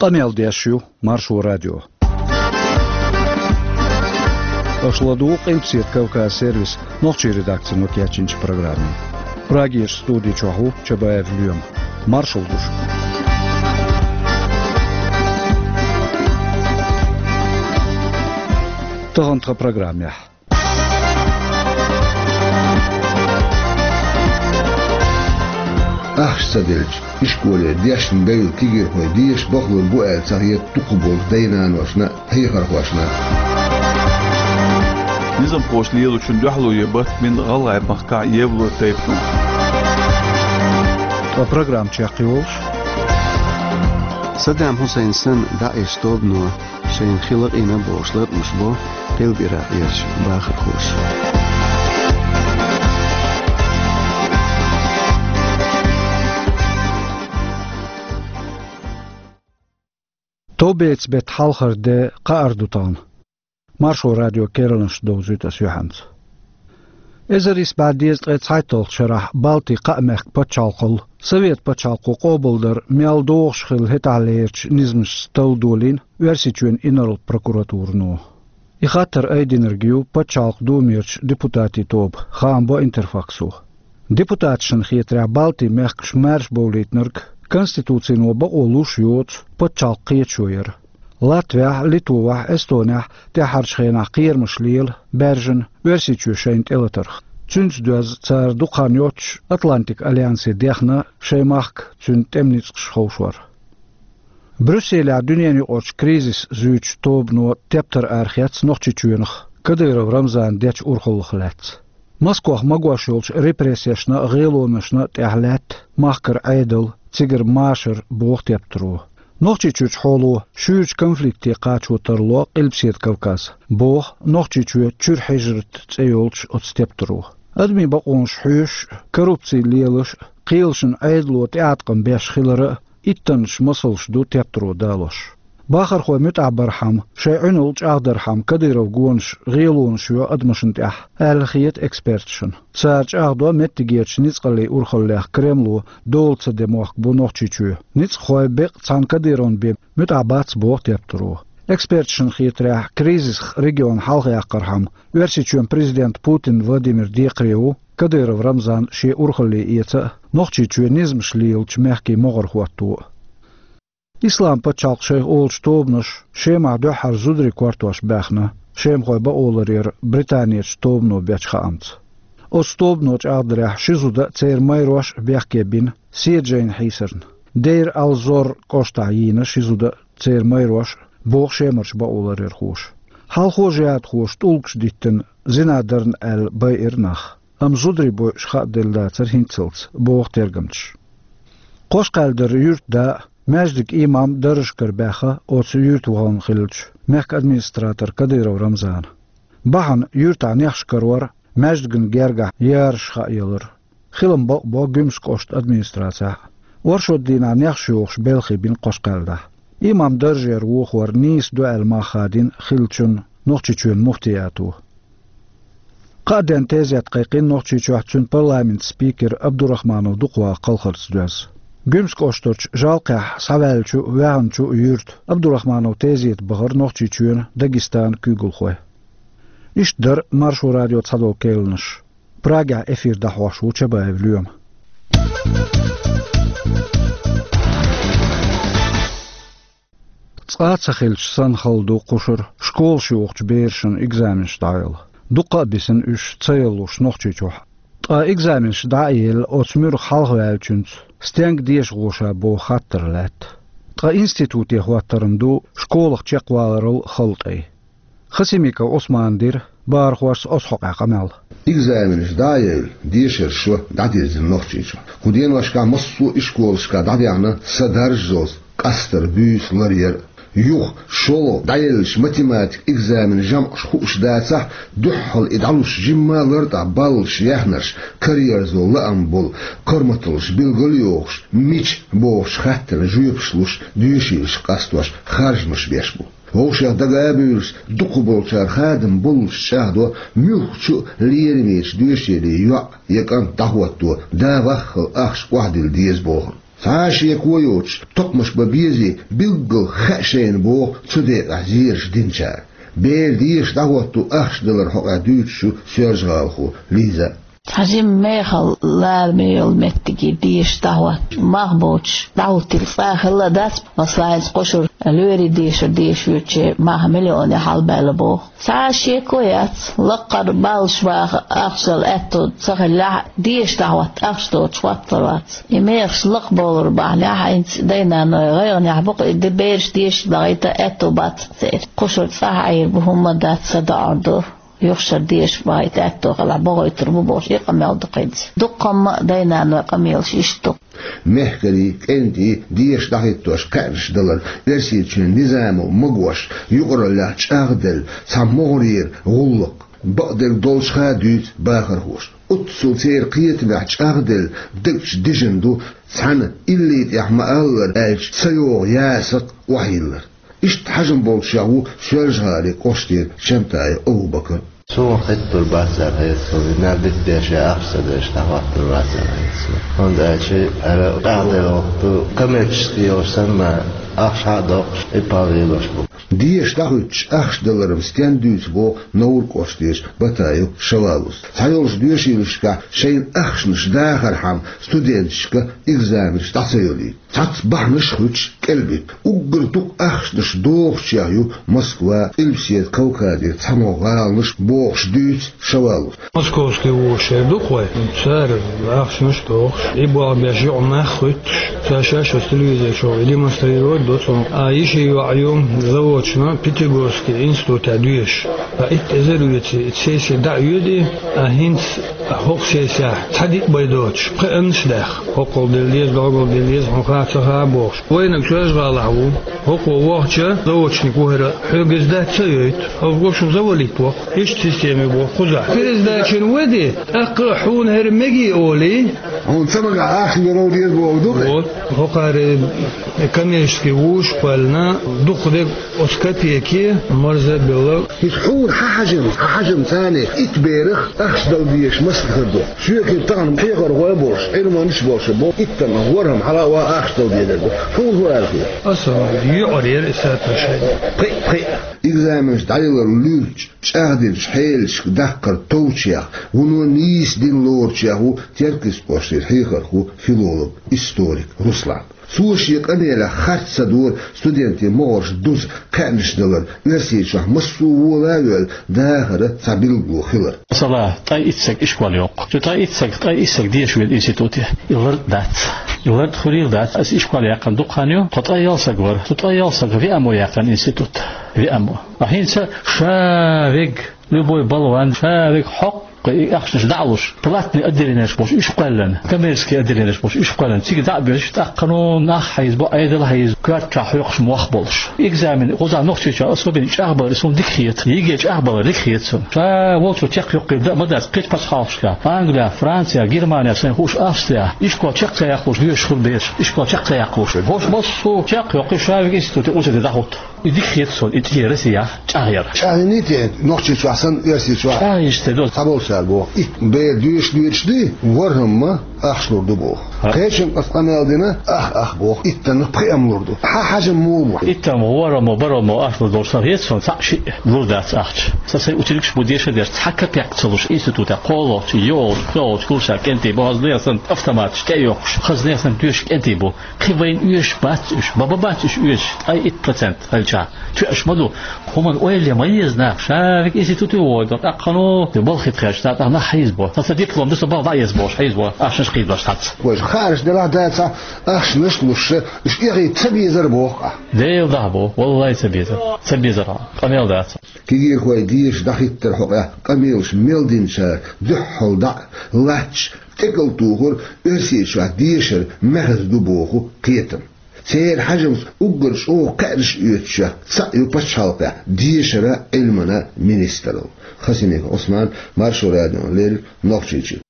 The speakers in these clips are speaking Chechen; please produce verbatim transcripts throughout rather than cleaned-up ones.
Къамел деш ю Маршо радио. Аша ладугӀу Къилбаседа Кавказ сервисан нохчийн редакцино кечйинчу программе. Прагерчу студи чохь ву Чабаев Лоьма. Маршалла ду шуьга. Тахана тхан программехь. Ахча ца делча, ишколера дешна девлла кегийрхой деша бахалур бу аьлла ца хета дукхахболчу дай-наношна а, хьехархошна а. Низамхоша лелочун дуьхьало е барт бина ГӀалгӀай махкахь евло тайпано. Ткъа программа чекхйолуш: Саддам Хьусайн санна ДАИШ тобано шайна хи лакъийна бохуш латкъамаш бо Къилба-Иракъерчу бахархоша. Товбецан беттан хьалхара де, кхаара ду тахана. Маршо радион керланаш довзуьйту ас юьхьанца. Эзар исс бӀе дезткъе цхьайтталгӀачу шарахь Балтийн кхаа мехкан пачхьалкхалла Совет пачхьалкхо къобалдар мел догӀуш хилла хӀетахьлерчу низамашца талла долийна Оьрсийчоьнан инарла прокуратурано. И хаттар айдинарг ю пачхьалкхан Думерчу депутатийн тоба, хаам бо Интерфаксо. Депутаташна хетарехь, Балтийн мехкаш маьрша бовлийтинарг Конституцино бакъо луш йоцу пачхьалкх кхеташо яра. Латвехь, Литвахь, Эстонехь тӀаьххьарчу хенахь кхерамаш лела баьржина Оьрсийчоь шайна тӀелатарх. Цуьнца доьзна цара дукха хан йоццуш Атлантикан альянсе дехна шайн махка цуьнан тӀеман ницкъаш ховшор. Брюсселехь дуьненаюкъарчу кризис зуьйчу тобано тептар арахецна Нохчийчоьнах Кадыров Рамзана дечу урхаллах лаьцна. Москвахь магош йолчу репрессешна а, гӀелонашна а тӀехь лаьтта махкара Ӏедал, цигара машар, боху тептаро. Нохчийчуьрчу хьоло шуьйрачу конфликте кхачо тарло Къилбаседа Кавказ, боху Нохчийчоь чуьра хьижрат цӀе йолчу оцу тептаро. Адамийн бакъонаш хьоьшуш а, коррупци лелаш а, кхелашна Ӏедало тӀеӀаткъам беш хилар а иттаннаш масалш ду тептаро далош. Бахархой муьтӀахь бархьама, шайн Ӏуьналла чӀагӀдархьама Кадыровн гонаш гӀелонаш йо адамашна тӀехь, аьлла хета эксперташна. Цара чӀагӀдо, меттигерчу ницкъаллийн урхаллех Кремло дола ца де мохк бу Нохчийчоь. Ницкъахой бекъа цхьана Кадыровна бен муьтӀахь бац, боху тептаро. Эксперташна хетарехь, кризисах регион хьалхаяккхархьама, Оьрсийчоьнан президент Путин Владимир декхаре ву Кадыров Рамзан шен урхалле эца а, Нохчийчоь низамаш лелачу мехкийн могӀара хӀотто а. Ислам пачхьалкх шайх олучу тобанаша Шемахь дуьххьара зударийн кортош баьхна, шемахой бакъоларъяра Британерчу тобано бечу хаамца. Оцу тобано чӀагӀдарехь, ши зуда а, церан майрош а бехке бина седа жайна хьийсарна. Дейр ал-Зор кӀоштахь йийна ши зуда а, церан майрош а, боху Шемарчу бакъоларъярхоша. Хьалхо жихӀадхоша тӀулгаш диттина, зина дарна аьлла байира нах. Амма зударий бойуш хааделла дацара хӀинццалц, боху тергамчаша. Кхошкхаьллара юьртан да а, маьждиган имам а даржашкара баьхна оцу юьрта вахана хиллачу мехкан администратор Кадыров Рамзана. Бахьана юьртахь нехаш карор а, маьждиган гергахь яраш хааялар а. Хилам бакъбо Гуьмсан кӀоштан администрацехь а. Оршот дийнахь нехаш йохуш белхий бина кхошкхаьллахь. Имам даржера вохор нийса ду аьлла мах хадийна хиллачунна Нохчийчоьнан муфтиято. Кхаа денна тезет кхайкхийна Нохчийчохь цуьнан парламентан спикера Абдурахманов Дукхвахан кхалхарца доьзна. Гуьмсан кӀоштарчу Жалкхехь схьаваьллачу а, ваьхначу а юьртан Абдурахмановн тезета бахара Нохчийчоьнан, Дагестанан куьйгалхой. Иштта дара Маршо радион цхьадолу керланаш. Прагехь эфир дӀахьош ву Чабаев Лоьма. Цкъа а ца хилча санна хала ду кхушара школаш йохучу берашна экзаменаш дӀаяла. Дуккха а бисина уьш ца ялалуш Нохчийчохь. Ткъа экзаменаш дӀа а елла, оцу муьрах хьалхаваьллачуьнца стенга деша гӀо ша боху хаттар лаьтта. Ткъа институте хӀоттаран ду школах чекхваларал хала тӀай. Хасимиков Ӏусмана дира бахархошца оцу хьокъехь къамел. Экзаменаш дӀа а евлла, дешаран шо дӀадирзина Нохчийчохь. Кху деношкахь массо а ишколашкахь дӀадаьхьна са даржазалц къастар, буьйса ларъяр а. Юха, шолгӀа дӀаеллачу математикан экзаменан жамӀаш хууш дацахь, дуьххьал и дӀалуш жимма а лартӀехь баллаш яьхнарш, караерзо лаам болу, корматаллаш билгал а йохуш, мича бохучу хаттарна жоьпаш луш, доьшийлаш къастош, харжамаш беш бу. Вовшех дага а буьйлуш, дукхахболчара хадам боллуш чӀагӀдо, муьлххачу а лерамечу доьшийлин йоӀ я кӀант дӀахӀотто, да ваххал ахча охьадилла деза бохург. Цхьа а шеко йоцуш, токхамаш бан безий, билггал хаьа шайна боху цу декъехь зераш динчара. Бер деша дӀахӀотто ахча далар хьокъехь дуьйцуш ю соьлжагӀалахо Лиза. Цхьа жимма мехала лараме йолу меттиге деша дӀахӀотта мах боцуш дӀахӀуттийла цкъа а хилла дац, масала, хӀинца кхушара лоьрийн дешар деша воьдучеран мах миллионе хьалабаьлла боху. Цхьа а шеко яц, лаккхара баллаш баха ахча дала аьтто ца хиллехь а, деша дӀахӀотта ахча доцуш хӀоттор вац. И мехаш лакхабовлар бахьанехь, хӀинца дай-наной гӀайгӀанехь бу-кх, и де бераш деша дахийта аьтто бац церан. Кхушара цӀахь Ӏийр бу, хӀумма дац, садоӀур ду. Юха шара деша бахийта аьтто хилахь, бохуьйтур бу бохуш, и къамел ду-кх хӀинца. Дуккха хӀумма а дай-наной къамелаш иштта ду. Мехкарий, кӀентий деша дӀахӀиттош кхаьънаш далар, Оьрсийчоьнан низамо магош, юкъараллехь чӀагӀделла цхьа могӀарера гӀуллакх, бакъдерг долчух а дуьйцу бахархоша. Оццул церан кхетамехь чӀагӀделла дагчу дижина ду, цхьана илли тӀехь ма-аллара аьлча ца йогӀу ясакх охьайиллар. Иштта хьажам болчех ву Соьлжа-ГӀалин кӀоштара Чантаев Абу-Бакар. Суна хӀиттур бац аьлла хета суна, и мел дитта деши ахча ца деш дӀахӀоттур вац аьлла хета суна. ХӀунда аьлча ара чӀагӀделла вахту, коммерческий йолуш санна, ахча хьа а доккхуш, и пал лелош бу. Деша дӀахӀуьттуш ахча даларан стен дуьйцу боху Невран кӀоштара Батаев Шавалус. Цхьайолчу доьшийлашкахь шайна ахчанаш дахархьама студенташка экзаменаш дӀа ца йолуьйту. Цхьацца бахьанаш а хуьттуш кӀелбита. Уггар дукха ахчанаш дохучех ю Москва, Къилбаседа Кавказера цхьамогӀа гӀаланаш бохуш дуьйцу Шавалус. Московский вузаш шер ду-кх вай, цара ахчанаш а дохуш, и болх беш юкъа нах а хуьттуш, цара шаьш оцу телевизор чохь демонстрировать до цунах. А йишин йоӀ ю заводчун Пятигорский институтехь доьшуш. Ткъа итт эзар а веце, и сесси дӀа а оьду, а хӀинца хӀокху сессехь цхьа диъ бай доцуш, пхиъаннаш а даьхна. ХӀоккхул дилла деза, догӀул дилла деза, хьуна хаа ца хаа бохуш. Вайнаг Соьлжа-ГӀалахь ву. ХӀокхо вахча, заводчик ву хӀара, хьоьга иза дац ца йойту. Хьо гуш ву завалить ву. Иштта система бу кхузахь. Пересдачина веди, тӀаккха хьуна хӀара мегий олий. Хьуна ца магахь ахча лур деза боху ду-кх. Вот. ХӀокхара коммерческий вузаш а кхоьллина, дукха дерг оцу копейке марза а белла. ХӀинца хьуна хьан хьажам, хьан хьажам царна итт берах ахча дала дезаш массо а хир ду. Соьгахь тахана кхехьархой а болуш, Ӏилманчаш а болуш, бо иттаннах ворхӀам хьала а ван ахча дала дезар ду. Хьуна хӀун аьлла хета? Аса юкъара яра и соотношение. Пхиъ, пхиъ. Экзаменаш дӀаялар луьрачу, чӀагӀдинчу хьелашка даккхар товчех, вуно нийса дин лоручех ву Теркйистан кӀоштара хьехархо, филолог, историк Руслан. Цо шен къамелехь харц ца дора студентийн могӀарш дуза кхаьънаш далар, Оьрсийчохь массо а вола а воьлла дахаран цхьа билгало хилар. Масала, ткъе итт саг ишкол йоккху. Цу ткъе итт саг, ткъе итт саг деша веза институте. И лартӀа дац. И лартӀа хуьлийла дац. Аса ишкол яьккхина дукха хан ю, тхо ткъе ялх саг вара. Цу ткъе ялх сага виамо яьккхина институт. Виамо. А хӀинца ша вега, любой болван, ша вега хьокху и ахчанаш дӀа а луш, платный отделенеш болуш уьш кхоьллина, коммерческий отделенеш болуш уьш кхоьллина, цига дӀа а боьллуш, тӀаккха нах хьийзабо, Ӏедал хьийзабо, коьртачохь хьоькхуш мох болуш. Экзамен, кхузахь Нохчийчохь особенно чӀагӀбалар, и суна дика хета, ЕГЭ чӀагӀбалар дика хета суна. Ша волчу чекхйоккхийла дан а ма дац, кхечу пачхьалкхашкахь, Англия, Франция, Германия, сайн хууш Австрия, ишкол чекх ца яккхалуш доьшуш хуьлу бераш, ишкол чекх ца яккхалуш. ХӀорш массо а чекхйоккхий, ша вега институте, университете дӀахӀутту. И дика хета суна, и тӀера Россия чӀагӀъяр. ЧӀагӀйиний те, Нохчийчохь санна, Оьрсийчохь? ЧӀагӀйича те ду. Цхьаболчара боху, итт бер доьшуш доьдуш дуй, ворхӀамма ахча лур ду боху. Ха. Кхечуьнга аса къамел дина, ах, ах боху, иттаннах пхиъ-м лур ду. Хьан хьажам муха бу? Иттаннах ворхӀамма, бархӀамма ахча лур долуш сан хета суна, цхьаъ-шиъ лур дац ахча. Сан сайн ученикаш бу деша а деш, цхьа капек ца луш институте, кхоалгӀачу, йоьалгӀачу, пхоьалгӀачу курсе кӀентий бу, хаза нехан санна автоматаш тӀе а йоккхуш, хаза нехан санна доьшуш кӀентий бу. Кхин вайна оьшуш бац уьш, бан-бан бац уьш оьшуш, ткъе итт процент хилча. Тоьаш ма ду. ХӀуманна ойла ян ма еза наха, ша вега институте вогӀу, тӀаккха хӀун ду, балхе тхаьш, тӀаккха нах хьийзабо. Сан, сан диплом ду, сан балха дӀа а еза бохуш, хьийзабо, ахчанаш кхийдош цхьацца. Вайша хаарш делахь дацахь, ахчанаш а луш, уьш эхийта ца безар боху ахь? Дела дахьа боху, валлай ца безар. Ца безар, къамел дац. Кегийрхой деша дӀахӀиттаран хьокъехь къамелаш мел динчара дуьххьал дӀа а латташ, тӀекӀал тухур Оьрсийчохь дешар маьхза ду боху кхетам. Церан хьажамца уггар чӀогӀа кхаьънаш оьцучех цхьаъ ю пачхьалкхехь дешаран а, Ӏилманан а министралла. Хасимиков Ӏусман, Маршо радиона леррина, Нохчийчуьра.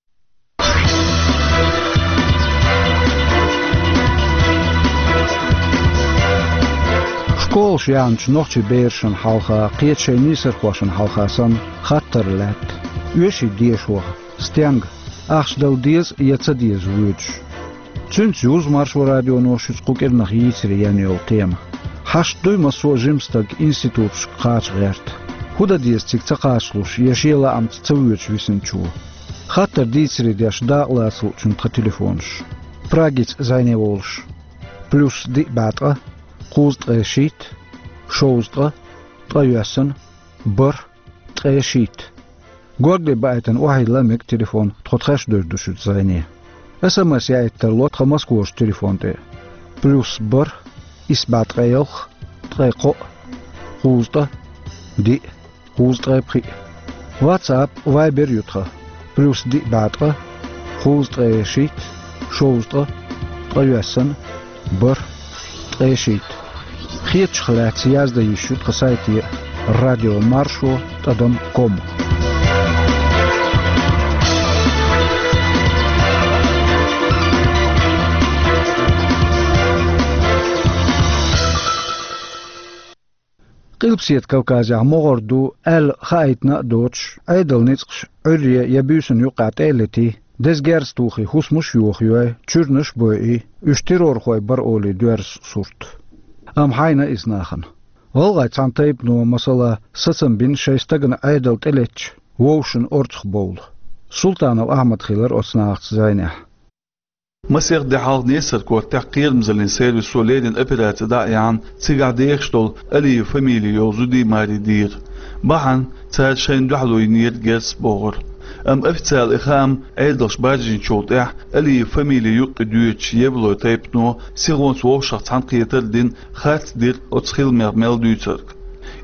Школаш яьхначу нохчийн берашна хьалха, кхечу шайн нийсархошна хьалха санна, хаттар лаьтта: оьший дешахь стенга, ахча дала деза я ца деза воьдуш? Цуьнца юзу Маршо радионо шуьца кху кӀирнах йийцаре яьнна йолу тема. Хьашт дуй массо а жима стаг институташка кхача гӀерта? ХӀун дан деза цига ца кхачалуш я шен лаамца ца воьдуш висинчо? Хаттар дийцаре деш дакъалаца луучунна тхан телефонаш. Прагица зӀене волуш: плюс диъ бӀе ткъа, кхузткъе шийтта, шовзткъа, ткъайоьсна, бархӀ, ткъе шийтта. Горгали баийтина охьайилла мега телефон, тхо тхаьш девр ду шуьца зӀене. СМС яийта тарло тхан Москварчу телефон тӀе: плюс бархӀ, исс бӀе ткъе ялх, ткъе кхоъ, кхузткъа, диъ, кхузткъе пхиъ. WhatsApp, Viber ю тхан: плюс диъ бӀе ткъа, кхузткъе шийтта, шовзткъа, ткъайоьсна, бархӀ, ткъе шийтта. Хетачух лаьцна яздан йиш ю тхан сайте: радио маршо тӀадам ком. Къилбаседа Кавказехь могӀара ду аьлла хаийтина а доцуш, Ӏедалан ницкъаш Ӏуьйре я буьйсанна юккъехь тӀе а летий, деза герз тухий хӀусамаш а йохайой, чуьрнаш а бойий, уьш террорхой бара олий доьрзу сурт. Амма хьайна иза нахана. ГӀалгӀайн цхьана тайпано, масала, сацам бина шайн стагана Ӏедал тӀелеттачу вовшашна орцахбовла. Султанов Ахьмад хилира оцу нахаца зӀенехь. Масех де хьалха Несар-Кортехь кхерамзаллин сервисо леррина операци дӀа а яьхьна, цигахь дехаш долу Алиев фамили йолу зудий, марий дийра. Бахьана цара шайна дуьхьало йинера герз бохура. Амма официалан и хаам Ӏедалша баржийначул тӀаьхьа Алиев фамили юккъе доьдучу Евлой тайпано сихонца вовшах цхьаьнакхетар а дина, харц дира оцу хиламех мел дуьйцург.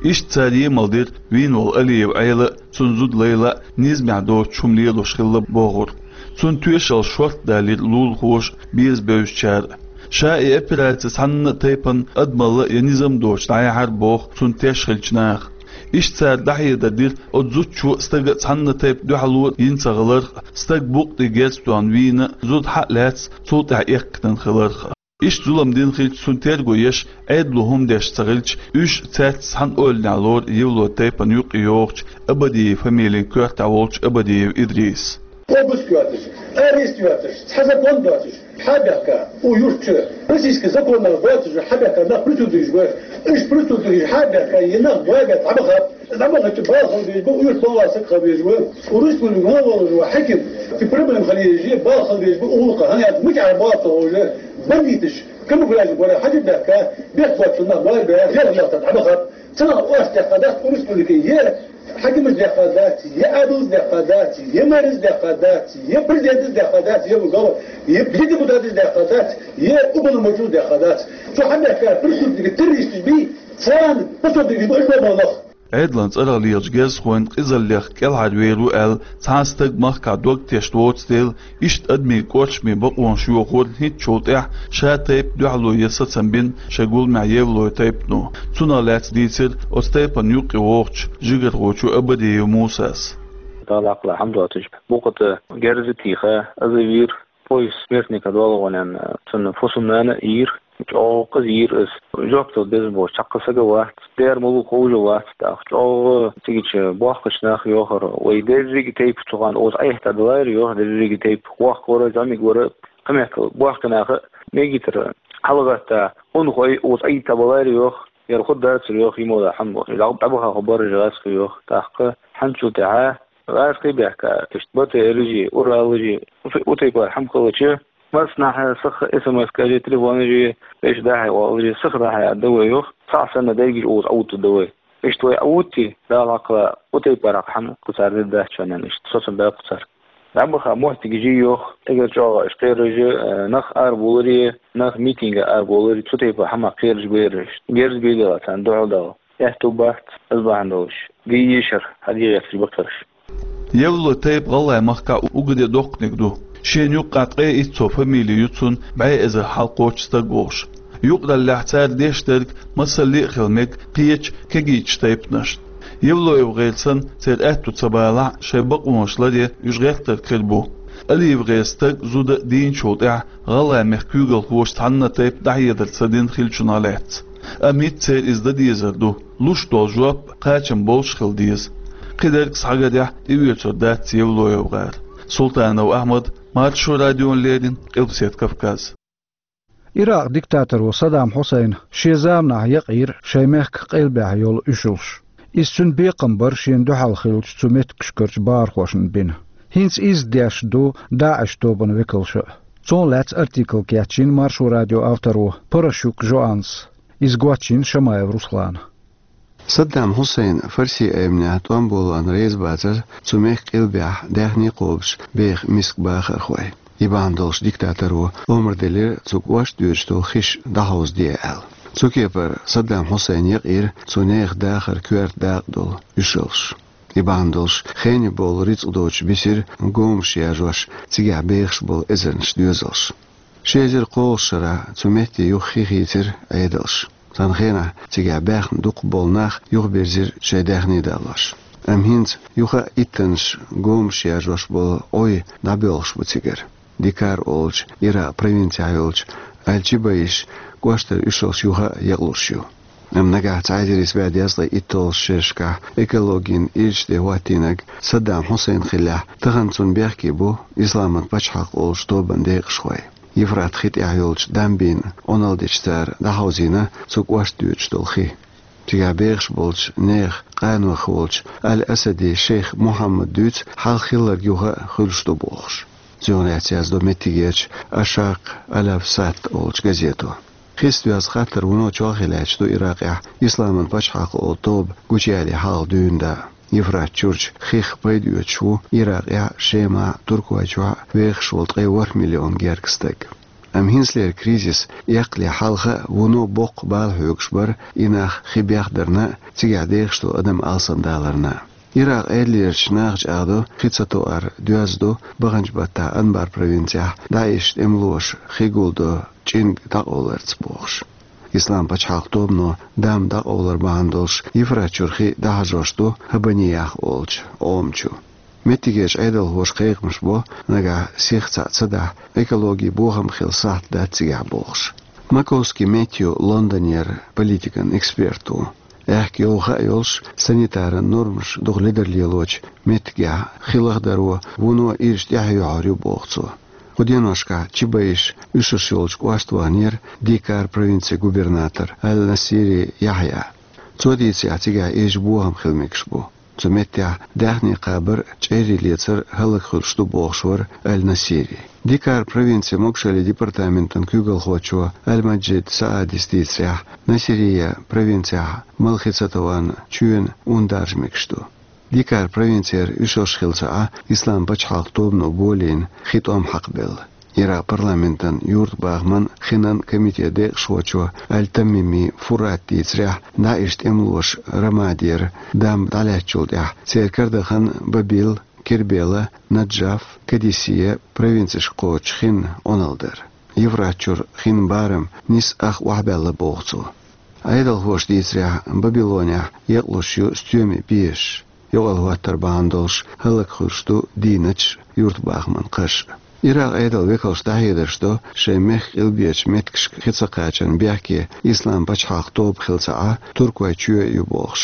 Иштта цара емал дира вийна волу Алиев Ӏела а, цуьнан зуда Лайла а низамехь доцуш хӀума лелош хилла бохург. Цуьнан тоьшалла шорта далийра лулахоша а, беза бевзачара а. Ша и операци цхьанна а тайпана адамалла я низам доцуш дӀаяьхьира боху цунна теш хиллачу наха. Иштта цара дӀахьедар дира оцу зудчо а, стага а цхьанна а тайпа дуьхьало йина ца хиларх а, стаг букъ тӀе герз тоьхна вийна а, зуда схьа а лаьцна цул тӀаьхьа эккхийтина хиларх а. Иштта зулам дина хилча, цунна терго еш, Ӏедало хӀума деш ца хилча, уьш цаьрца цхьана ойланехь лору Евлой тайпана юккъе йогӀучу Абадиев фамилин коьртехь волчу Абадиев Идриса. Обыск йоцуш, арест йоцуш, цхьа закон доцуш, схьа а баьхка, у юрт чу, российский законах доцуш схьа а баьхка, нах преступникаш бу, уьш преступникаш схьа а баьхка, и нах бой баьхка, схьа ма хаппа. Набахачу бала хила безаш бу, уьш балла саг хила безаш бу. Цу республикан вон волуш ву хьаькам, цу проблема хила езаш, бала хила безаш бу, уллукъа хӀан яц, мичахь бала ца ховш, бандиташ, камуфляж бара, хьажа баьхка, бехк боцучу нах бой баьхка, зелхаш дахта дӀабахаб. Цунах ош дехка дац, у республикан е хьаькамаш дехка дац, е Ӏедалс дехка дац, е мэрс дехка дац, е президентс дехка дац, е ву гала, е депутатс дехка дац, е уполномоченныйс дехка дац. Цу хьан бехка преступник, террористаш бий, царна пособие бу, уьш бу бала нах. Ӏедалан цӀарах лелачу герзахойн къизаллех кӀелхьарвер ву аьлла, цхьа а стаг махкахь дог тешна воцу дела, иштта адамийн кӀоршаме бакъонаш йохор хӀинцачул тӀаьхьа ша тайпа дуьхьало ян сацам бина шайн гуламехь Евлой тайпано. Цунах лаьцна дийцира оцу тайпана юккъе вогӀучу жигархочо Абадиев Мусас. Дала Ӏакъла хьамдотуш, букъа тӀе герз а тийха, аза вийра. Поезд смертника долу гӀонан, цунна фусам-нана а йийра, чӀогӀа кхаза йийра иза. Жоп дала безам боцуш цхьаккха саг а вац, дера ма лу ховш а вац тӀаккха. ЧӀогӀа цигачу бохкачу наха йохура: «Вай дерриге тайпа цу хана оцу Ӏехта далайра», — йоху, дерриге тайпа. Воккха вара, зӀамига вара, кхин мехкал бохкачу наха а мегийтара хьалагӀатта, унахой оцу Ӏийта балайра йоху. Яра хӀун дацара йоху, йимала хьан боху. ДӀа-, дӀабаха хӀу баржа гӀазкхи йоху. ТӀаккха хьанчул тӀаьхьа гӀазкхи бехка, иштта БТР-жи, Урал-жи, у-, у тайпара хьан халача, массанхьа саха СМС-кажи, телефонажи, вешан дӀахьа валажи, саха дӀахьа а дан вай йоху, цхьаъ санна дайгаш оцу Ӏутту дан вай. Иштта вай Ӏутти, Дала хьакхала, у тайпара хьан кху цара де дац шоьнан иштта, соцам баьккху цара. ДӀабаха моттигаш йоху, эгар чӀогӀа аш кхераш, э, нах арабовларе, нах митинга арабовларе, цу тайпа хӀама кхераш бераш. Герз бийла царна дуьхьал дала. Аьтту бац, аса бахьана долуш. Гий йишар, хьан дегӀерчаш бакхараш. Евлой тайпа гӀалгӀай махкахь уггаре доккханиг ду. Шена юккъехь ткъе итт сов фамили ю цунна, бӀе эзар хьалкхочуш стаг волуш. Юкъараллехь цара деш дерг масалле а хила мега кхечу кегийчу тайпанашна. ЕвлоевгӀеран санна, церан аьтту ца балахь а, шайн бакъонаш ларъян уьш гӀертарг хир бу. АлиевгӀеран стаг, зуда а дийначул тӀаьхьа гӀалгӀай мехкан куьйгалхоша цхьанна а тайпа дӀахьедар ца дина хиллачунах лаьцна. Амма хӀинца церан иза дан дезар ду, луш долу жоп кхачам болуш хила деза. Кхидерг схьагарехь тӀеоьцур дац ЕвлоевгӀар. Султанов Ахьмад, Маршо радиона леррина, Къилбаседа Кавказ. Иракъ диктаторо Саддам Хьусайна шен заманахь якъийра шайн мехкан къилбехь йолу уьшалш. Иза цуьнан бекхам бара шена дуьхьал хиллачу цу меттигашкарчу бахархошна бина. ХӀинца изза деш ду ДАИШ тобанан векалша а. Цунах лаьцна артикл кечйина Маршо радион авторо Паращук Жоаннас. Иза гочйина Шамаев Руслана. Саддам Хьусайн Фарси Ӏемнехь тӀом болон реза бацара цу мехкан къилбехь даьхни кхобуш беха миска бахархой. И бахьана долуш диктаторо омра делира цу кӀошт доьдуш долу хиш дӀахьовзаде аьлла. Цу кепара Саддам Хьусайн якъийра цу нехан дахар коьрта дакъа долу уьшалш. И бахьана долуш хене болу рицкъ доцуш бисира гомаш яржош цигахь бехаш болу эзарнаш доьзалш. Ши эзар кхоалгӀачу шарахь цу метте юха хи хийцира Ӏедалша. Цхьана хенахь цигахь баьхна дукхахболу нах юхабирзира шайн даьхни далош. Амма хӀинца юха а иттаннаш гомаш яржош болу Ӏой дӀабоьлхуш бу цигара. Дикар олучу Иракъ провинцехь йолчу Аль-Чибаиш кӀоштара уьшалш юха а якълуш ю. Амма нагахь цхьа эзар исс бӀе дезткъе итталгӀачу шерашкахь экологин ирча тӀе хӀоттийнарг Саддам Хьусайн хиллехь, тахана цунна бехке бу Исламан пачхьалкх олучу тобанан декъашхой. Евфрат хи тӀехь йолчу дамбийн Ӏуналла дечу цара дӀахьовзийна цу кӀошт доьдуш долу хи. Цигахь бехаш болчу нехан къанойх волчу Аль-Асади шейх Мухьаммада дуьйцу хьалха хилларг юха а хуьлуш ду бохуш. Цунах лаьцна яздо меттигерчу Ашакъ Аль-Авсат олучу газето. Хица доьзна хаттар вуно чолхе лаьтташ ду Иракъехь Исламан пачхьалкх олу тоба гучуяле хьалха дуьйна даа. Евфрат чурчу хих пайда оьцуш ву Иракъехь, Шемахь, Туркойчохь вехаш волу ткъе ворхӀ миллион гергга стаг. Амма хӀинцалера кризис эккхале хьалха а вуно боккха бала хьоьгуш бара и нах хи бехдарна а, цигахь дехаш долу адам алсамдаларна а. Иракъ Ӏедалерчу наха чӀагӀдо, хи ца тоар доьзна ду баханчу баттахь Анбар провинцехь ДАИШ тӀемалоша хи гулдо чӀинг дӀакъовларца бохуш. Ислам пачхьалкх тобано дам дӀакъовлар бахьана долуш Евфрат чуьра хи дӀахьажош ду Хабаниях олучу Ӏома чу. Меттигерчу Ӏедалхоша кхайкхамаш бо, нагахь сиха цхьаъ ца дахь, экологин бохам хила сахьт дац цигахь бохуш. Маковский Мэтью Лондонера политикан эксперт ву. Аьхка йовха а йолуш, санитаран нормаш дукха ледарлелочу меттигехь хи лахдарон вуно ирча тӀаьхьа йохьур ю боху цо. Кху деношкахь Чибаиш уьшуш йолчу кӀошта ваханера Дикар провинцин губернатор Аль-Насири Яхьъя. Цо дийцарехь, цигахь ирча бохам хила мегаш бу. Цу меттехь даьхни кхабар, чӀерри лецар хӀаллакьхуьлуш ду бохуш вара Аль-Насири. Дикар провинцин могушаллин департаментан куьйгалхочо Аль-Маджид Саадис дийцарехь, Насирия провинцехь мала хи ца тован чоьнан ун даржа мегаш ду. Дикар провинцера уьшалш хилла ца Ӏа Ислам пачхьалкх тобано болийна хи тӀом хьакхабелла. Иракъ парламентан юьртабахаман хинан комитетан декъашхочо Аль-Тамими Фурат дийцарехь, ДАИШ тӀемалоша Рамадера дамба дӀалаьцначул тӀаьхьа церан карадахана Бабил, Кербела, Наджаф, Кадисия провинцешка кхочуш хин Ӏуналла дара. Евфрат чуьра хин барам нисса ах охьабаьлла боху цо. Ӏедалхоша дийцарехь, Бабилонехь екъалуш ю стоьмийн пешаш. Юкъалла хӀоттар бахьана долуш хӀаллакьхуьлуш ду дийначу юьртабахаман кхаш. Иракъ Ӏедалан векалш дӀахьедарш до шайн мехкан къилбечу меттигашка хи ца кхачарна бехке Ислам пачхьалкх тоба хилла ца Ӏа Туркойн чоь ю бохуш.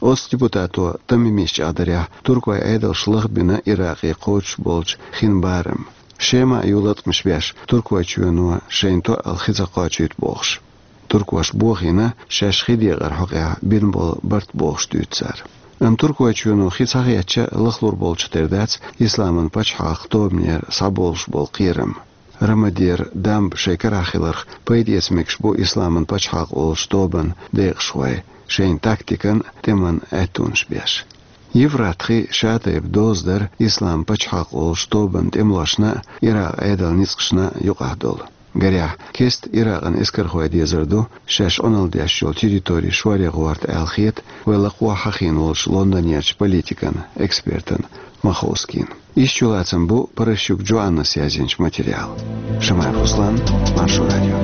Оцу депутато Тамимис чӀагӀдарехь, Туркойн Ӏедалша лахбина Иракъе кхочуш болчу хин барам. Шема а ю латкъамаш беш, Туркойн чоьно шайна тоъал хи ца кхочуьйту бохуш. Туркоша бохийна шаьш хи декъар хьокъехь бина болу барт бохуш дуьйцу цара. Амма Туркойн чоьно хи ца кхаьчча, лахлур болчух тера дац Исламан пачхьалкх тобанера схьаболуш болу кхерам. Рамадера дамба шайн карахь хиларх пайда эца мегаш бу Исламан пачхьалкх олучу тобанан декъашхой, шайн тактикан, тӀеман аьттонаш беш. Евфрат хи шатайпа доза дара Ислам пачхьалкх олучу тобанан тӀемалошна а, Иракъ Ӏедалан ницкъашна а юкъахь долу. Гарехь, кеста Иракъан эскархой дезар ду, шаьш Ӏуналла деш йолу территори шоръян гӀорта аьлла хета вай лакхо хьахийна волчу Лондонерчу политикан экспертан Маховскийна. Иштта чулацам бу Паращук Джоаннас язйинчу материалан. Шамаев Руслан, Маршо радио.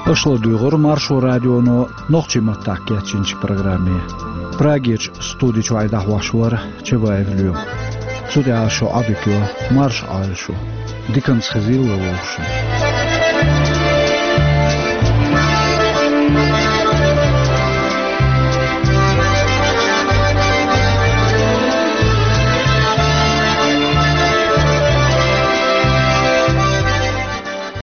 Аша ладуьйгӀура Маршо радионо нохчийн маттахь кечйинчу программе. Прагерчу студи чуьра дӀахьош вара Чабаев Лоьма. Цу тӀехь шу Ӏодика йо, марша Ӏойла шу. Диканца хезийла вовшашна.